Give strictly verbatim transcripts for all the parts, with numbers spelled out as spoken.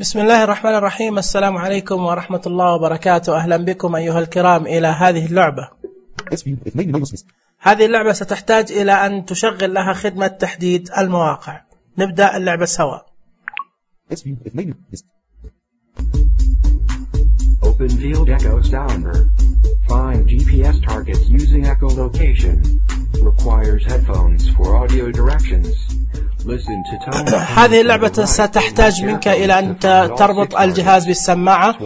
بسم الله الرحمن الرحيم. السلام عليكم ورحمة الله وبركاته. أهلا بكم أيها الكرام إلى هذه اللعبة. هذه اللعبة ستحتاج إلى أن تشغل لها خدمة تحديد المواقع. نبدأ اللعبة سوا. Open field echo sounder. Find G P S targets using echolocation. Requires headphones for audio directions. Listen to tone. هذه اللعبة ستحتاج منك إلى أن تربط الجهاز بالسماعة،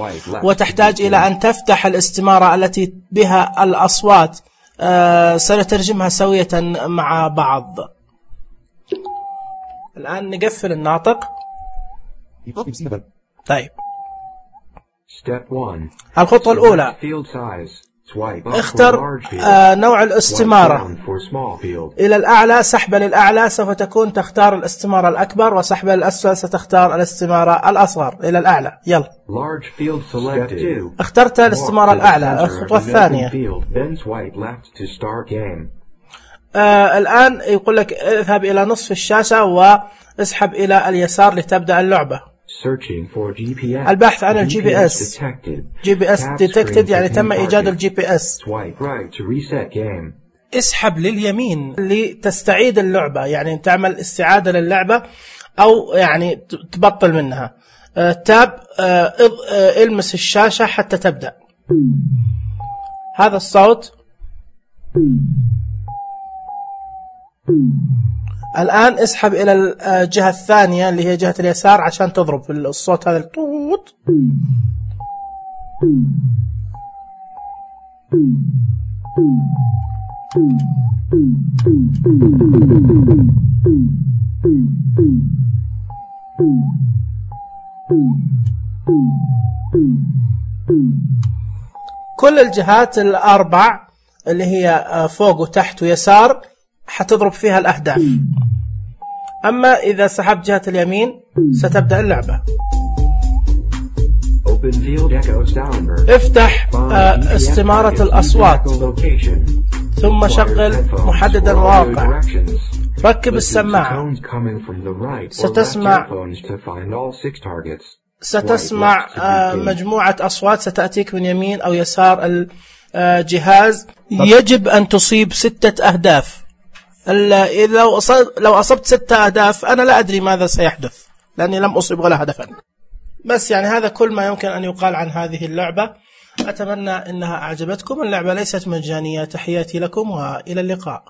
وتحتاج إلى أن تفتح الاستمارة التي بها الأصوات. أه سنترجمها سوية مع بعض. الآن نقفل الناطق. طيب، الخطوة الأولى، اختر آه نوع الاستمارة. إلى الأعلى سحبة للأعلى سوف تكون تختار الاستمارة الأكبر، وسحبة للأسفل ستختار الاستمارة الأصغر. إلى الأعلى، يلا. اخترت الاستمارة الأعلى. الخطوة الثانية، آه الآن يقول لك اذهب إلى نصف الشاشة واسحب إلى اليسار لتبدأ اللعبة. البحث عن الجي بي اس. جي بي اس detected يعني تم إيجاد الجي بي اس. اسحب لليمين لتستعيد اللعبة، يعني تعمل استعادة للعبة أو يعني تبطل منها. تاب المس الشاشة حتى تبدأ. هذا الصوت. الآن اسحب إلى الجهة الثانية اللي هي جهة اليسار عشان تضرب الصوت هذا الطوط. كل الجهات الأربع اللي هي فوق وتحت ويسار حتضرب فيها الأهداف. أما إذا سحبت جهة اليمين ستبدأ اللعبة. افتح استمارة الأصوات، ثم شغل محدد المواقع. ركب السماعة. ستسمع ستسمع مجموعة أصوات ستأتيك من يمين أو يسار الجهاز. يجب أن تصيب ستة أهداف. إذا لو أصبت ستة أهداف أنا لا أدري ماذا سيحدث، لأني لم أصب ولا هدفا. بس يعني هذا كل ما يمكن أن يقال عن هذه اللعبة. أتمنى أنها أعجبتكم. اللعبة ليست مجانية. تحياتي لكم وإلى اللقاء.